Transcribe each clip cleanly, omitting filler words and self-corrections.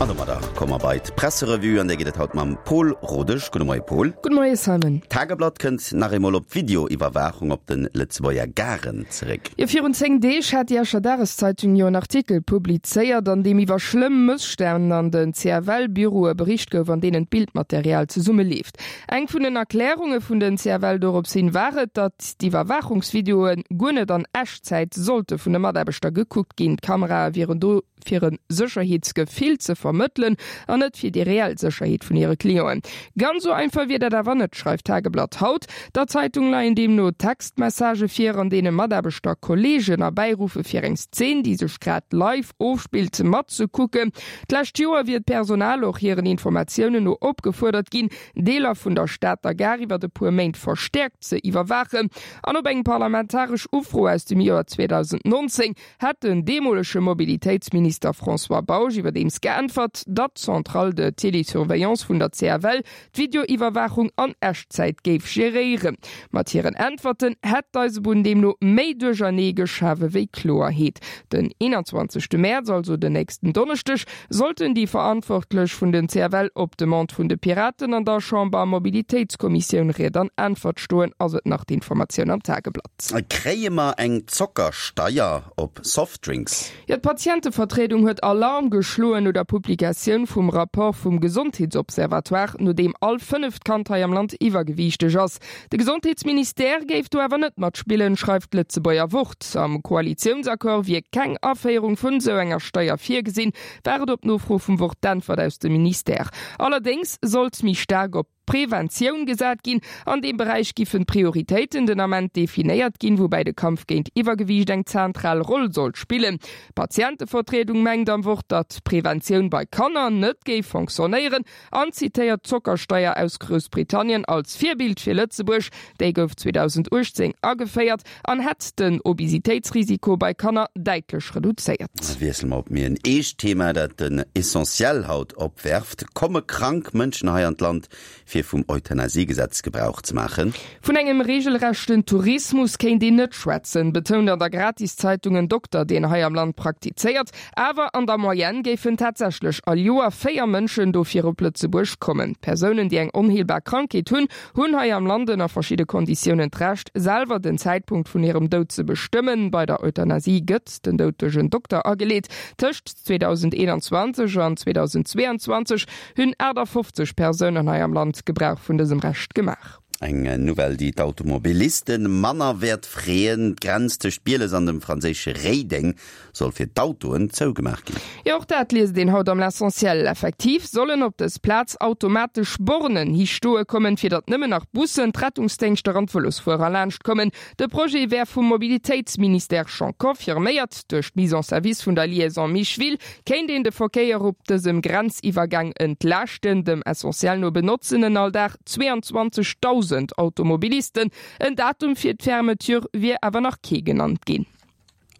An domadder komme mer bei d'Presserevue, an där geet et haut mam Pol Rodesch. Gudde Moie Pol. Gudde Moie Simon. D'Tageblatt kënnt nach eemol op d'Videoiwwerwaachung op de Lëtzebuerger Garen zeréck. Jo, virun 10 Deeg hat déi Escher Dageszeitung jo en Artikel publizéiert, an deem iwwer schlëmm Mësstänn an den CFL-Büroe bericht gouf, an deenen d'Bildmaterial zesummeleeft. Eng vun den Erklärunge vun den CFL dorops hin war et, datt d'Iwwerwaachungsvideoe guer net an Echtzäit sollte vun de Mataarbechter gekuckt ginn. D'Kamerae wieren do fir e Sécherheetsgefill ze vermëttelen an net fir déi reell Sécherheet vun hire Clienten. Ganz esou einfach wier dat awer net, schreift d'Tageblatt haut. Der Zeitung leien deemno Textmessagë vir, an deene Mataarbechter Kolleegen erbäiruffe fir eng Szen, déi sech grad live ofspillt, matzekucken. D'lescht Joer wier d'Personal och hiren Informatiounen no opgefuerdert ginn, Deeler vun der Stater Gare iwwert e puer Méint verstäerkt ze iwwerwaachen. An op eng parlamentaresch Ufro aus dem Joer 2019 hätt den deemolege Mobilitéitsminister François Bausch iwwerdeems geäntwert, datt d'Centrale de télésurveillance vun der CFL d'Videoiwwerwaachung an Echtzäit géif geréieren. Mat hiren Äntwerten hätt d'Eisebunn deemno méi Duerchernee geschafe wéi Kloerheet. Den 21. Mäerz, also den nächsten Donneschdeg, sollten déi Verantwortlech vun den CFL op Demande vun de Piraten an der Chamber-Mobilitéitskommissioun Ried an Äntwert stoen, ass et nach d'Informatioun am Tageblatt. Kréie mer eng Zockersteier op Softdrinks? Jo, d'Patientevertriedung huet Alarm geschloen no der Publikatioun vum Rapport vum Gesondheetsobservatoire, no deem all fënneft Kand hei am Land iwwergewiichteg ass. De Gesondheetsministère géif do awer net matspillen, schreift d'Lëtzebuerger Wort. Am Koalitiounsaccord wier keng Aféierung vun esou enger Steier virgesinn, war et op Nofro vum Wort d'Äntwert aus dem Ministère. Allerdéngs sollt méi staark op Preventioun gesat ginn. An deem Beräich giffen d'Prioritéiten den Ament definéiert ginn, woubäi de Kampf géint Iwwergewiicht eng zentral Roll sollt spillen. D'Patientevertriedung mengt am Wort, datt Preventioun bei Kanner net géif fonctionnéieren an zitéiert d'Zockersteier aus Groussbritannien als Virbild fir Lëtzebuerg. Déi gouf 2018 ageféiert an hätt den Obesitéitsrisiko bei Kanner däitlech reduzéiert. Wiessele mer op méi en eescht Thema, dat den Essentiel haut opwerft, Komme krank Mënschen hei an d'Land, fir vum Euthanasiegesetz Gebrauch ze maachen? Vun engem regelrechten Tourismus kéint een net schwätzen, betount an der Gratiszeitung en Dokter, deen hei am Land praktizéiert. Awer an der Moyenne géifen tatsächlech all Joer 4 Mënschen dofir op Lëtzebuerg kommen. Persounen, déi eng onheelbar Krankheet hunn, hunn hei am Land ënner verschidde Konditiounen d'Recht, selwer den Zäitpunkt vun hirem Doud ze bestëmmen. Bei der Euthanasie gëtt den Doud duerch en Dokter ageleet. Tëscht 2021 an 2022 hunn 58 Persounen hei am Land Gebrauch vun dësem Recht gemaach. Eng Nouvelle, déi d'Automobiliste manner wäert freeën, D'Grenz tëscht Bieles an dem franséische Réideng soll fir d'Autoen zougemaach ginn. Jo, och dat liest een haut am L'Essentiel. Effektiv sollen op dës Plaz automatesch Bornen hi stoe kommen, fir datt nëmmen nach Bussen, d'Rettungsdéngschter an d'Vëlosfuerer laanscht kommen. De Projet wär vum Mobilitéitsministère schonn confirméiert. Duerch d'Mise en service vun der Liaison Micheville kéint een de Verkéier op dësem Grenziwwergang entlaaschten. Dem Essentiel no benotzen en all Dag 22.000 Automobilisten. En Datum fir d'Fermeture wier awer nach kee genannt ginn.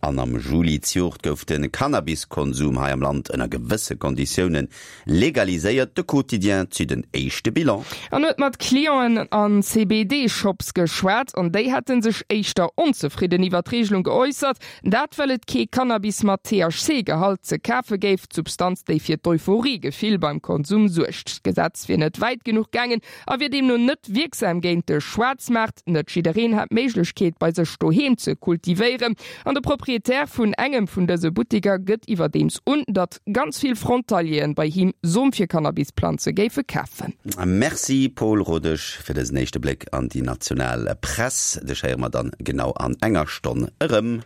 An am Juli zejoert gouf de Cannabiskonsum hei am Land ënner gewësse Konditioune legaliséiert. De Quotidien zitt en éischte Bilan. An huet mat Clienten an CBD-Shops geschwat an déi hätte sech éischter onzefridden iwwer d'Reegelung geäussert. Dat well et kee Cannabis mat THC-Gehalt ze kafe géif, d'Substanz déi fir d'Euphorie-Gefill beim Konsum suergt. D'Gesetz wier net wäit genuch gaangen a wier deemno net wierksam géint de Schwaarzmaart. Net jiddereen hätt d'Méiglechkeet, bei sech doheem ze kultivéieren. An de Proprietär vun engem vun dëse Butteker gëtt iwwerdeems un, datt ganz vill Frontalieren bei him Som fir Cannabisplanze géife kafen. Merci Paul Rodesch fir dësen éischte Bléck an déi national Press. Dech héiere mer dann genau an enger Stonn erëm.